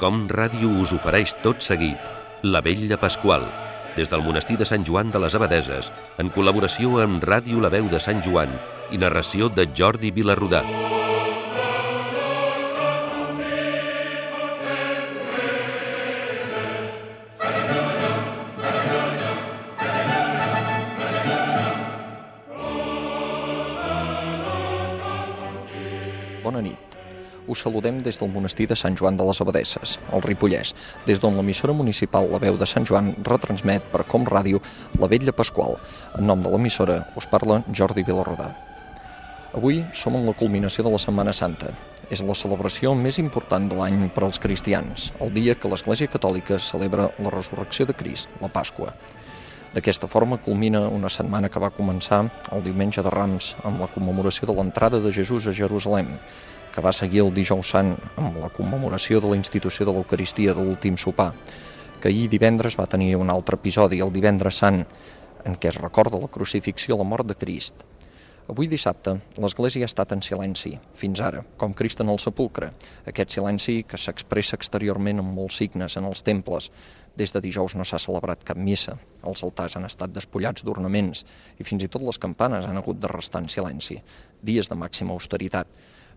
Com Ràdio us ofereix tot seguit La Vetlla Pasqual, des del monestir de Sant Joan de les Abadeses, en col·laboració amb Ràdio La Veu de Sant Joan i narració de Jordi Vilarrodà. Bona nit. Us saludem des del monestir de Sant Joan de les Abadeses, al Ripollès, des d'on l'emissora municipal La Veu de Sant Joan retransmet per Com Ràdio La Vetlla Pasqual. En nom de l'emissora us parla Jordi Vilarrodà. Avui som en la culminació de la Setmana Santa. És la celebració més important de l'any per als cristians, el dia que l'Església Catòlica celebra la resurrecció de Crist, la Pasqua. D'aquesta forma culmina una setmana que va començar el diumenge de Rams amb la commemoració de l'entrada de Jesús a Jerusalem, que va seguir el Dijous Sant amb la commemoració de la institució de l'Eucaristia de l'últim sopar, que ahir divendres va tenir un altre episodi, el Divendres Sant, en què es recorda la crucifixió i la mort de Crist. Avui dissabte l'Església ha estat en silenci, fins ara, com Crist en el sepulcre, aquest silenci que s'expressa exteriorment amb molts signes en els temples. Des de dijous no s'ha celebrat cap missa, els altars han estat despullats d'ornaments i fins i tot les campanes han hagut de restar en silenci, dies de màxima austeritat.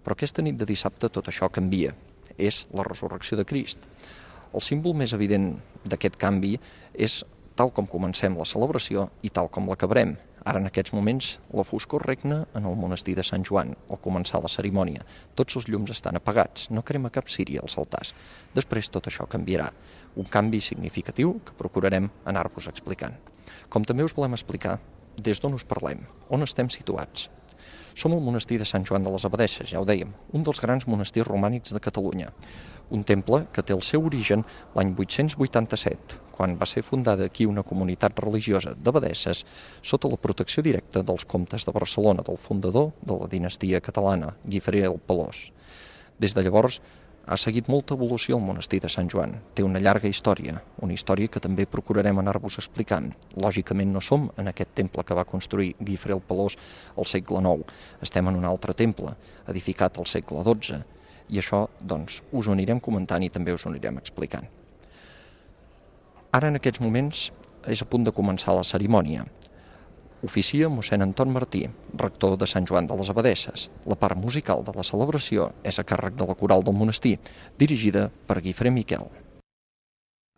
Però aquesta nit de dissabte tot això canvia, és la resurrecció de Crist. El símbol més evident d'aquest canvi és tal com comencem la celebració i tal com l'acabarem. Ara, en aquests moments, la foscor regna en el monestir de Sant Joan, al començar la cerimònia. Tots els llums estan apagats, no crema cap ciri als altars. Després tot això canviarà, un canvi significatiu que procurarem anar-vos explicant. Com també us volem explicar des d'on us parlem, on estem situats. Som al monestir de Sant Joan de les Abadeses, ja ho dèiem, un dels grans monestirs romànics de Catalunya. Un temple que té el seu origen l'any 887, quan va ser fundada aquí una comunitat religiosa d'abadesses sota la protecció directa dels comtes de Barcelona, del fundador de la dinastia catalana, Guifré el Pelós. Des de llavors ha seguit molta evolució el monestir de Sant Joan. Té una llarga història, una història que també procurarem anar-vos explicant. Lògicament no som en aquest temple que va construir Guifré el Pelós al segle IX. Estem en un altre temple, edificat al segle XII. I això, doncs, us ho anirem comentant i també us ho anirem explicant. Ara, en aquests moments, és a punt de començar la cerimònia. Oficia mossèn Anton Martí, rector de Sant Joan de les Abadeses. La part musical de la celebració és a càrrec de la coral del monestir, dirigida per Guifré Miquel.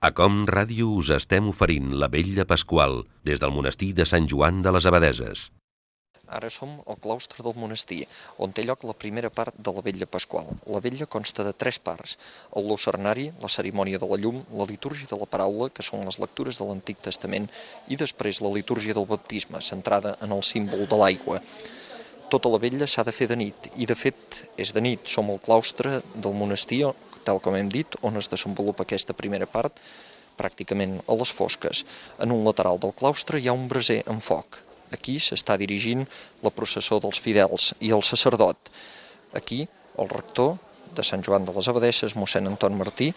A Com Ràdio us estem oferint La Vetlla Pasqual, des del monestir de Sant Joan de les Abadeses. Ara som al claustre del monestir, on té lloc la primera part de la Vetlla Pasqual. La vetlla consta de 3 parts: el lucernari, la cerimònia de la llum, la litúrgia de la paraula, que són les lectures de l'Antic Testament, i després la litúrgia del baptisme, centrada en el símbol de l'aigua. Tota la vetlla s'ha de fer de nit, i de fet és de nit. Som al claustre del monestir, tal com hem dit, on es desenvolupa aquesta primera part, pràcticament a les fosques. En un lateral del claustre hi ha un braser amb foc. Aquí s'està dirigint la processó dels fidels i el sacerdot. Aquí, el rector de Sant Joan de les Abadeses, mossèn Anton Martí,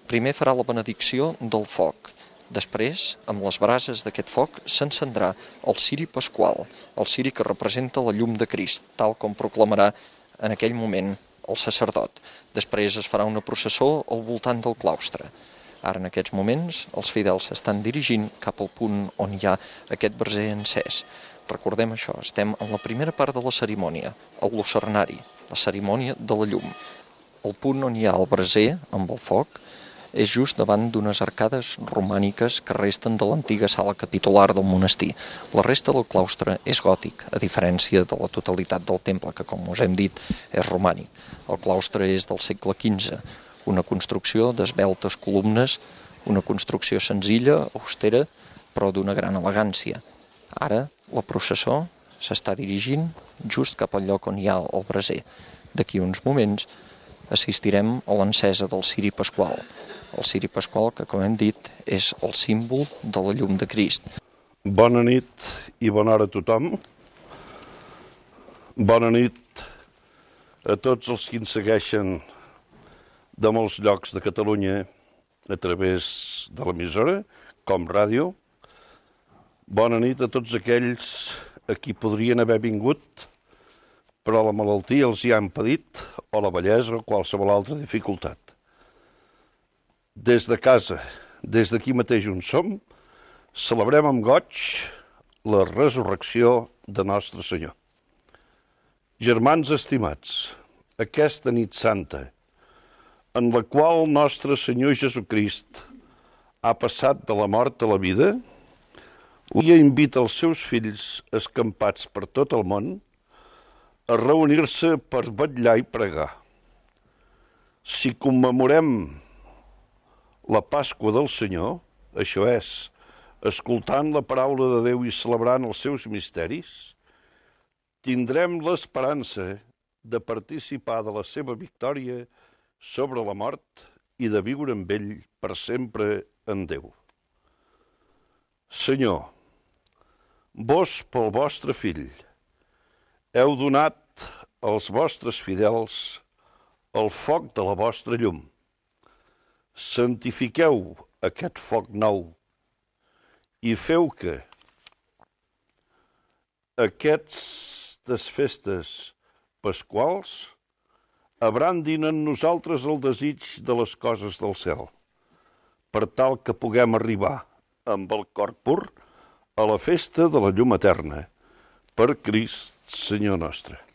primer farà la benedicció del foc. Després, amb les brases d'aquest foc, s'encendrà el ciri pasqual, el ciri que representa la llum de Crist, tal com proclamarà en aquell moment el sacerdot. Després es farà una processó al voltant del claustre. Ara, en aquests moments, els fidels s'estan dirigint cap al punt on hi ha aquest braser encès. Recordem això, estem en la primera part de la cerimònia, el lucernari, la cerimònia de la llum. El punt on hi ha el braser amb el foc és just davant d'unes arcades romàniques que resten de l'antiga sala capitular del monestir. La resta del claustre és gòtic, a diferència de la totalitat del temple, que, com us hem dit, és romànic. El claustre és del segle XV, una construcció d'esveltes columnes, una construcció senzilla, austera, però d'una gran elegància. Ara, la processó s'està dirigint just cap al lloc on hi ha el braser. D'aquí uns moments assistirem a l'encesa del ciri pasqual. El ciri pasqual, que, com hem dit, és el símbol de la llum de Crist. Bona nit i bona hora a tothom. Bona nit a tots els que ens segueixen de molts llocs de Catalunya a través de l'emissora, Com Ràdio. Bona nit a tots aquells a qui podrien haver vingut, però la malaltia els hi ha impedit, o la vellesa o qualsevol altra dificultat. des de casa, des d'aquí mateix on som, celebrem amb goig la resurrecció de Nostre Senyor. Germans estimats, aquesta nit santa, en la qual nostre Senyor Jesucrist ha passat de la mort a la vida, avui invita els seus fills escampats per tot el món a reunir-se per vetllar i pregar. Si commemorem la Pasqua del Senyor, això és, escoltant la paraula de Déu i celebrant els seus misteris, tindrem l'esperança de participar de la seva victòria sobre la mort i de viure amb ell per sempre en Déu. Senyor, vos pel vostre fill heu donat als vostres fidels el foc de la vostra llum. Santifiqueu aquest foc nou i feu que aquestes festes pasquals abrandin en nosaltres el desig de les coses del cel, per tal que puguem arribar amb el cor pur a la festa de la llum eterna, per Crist, Senyor nostre.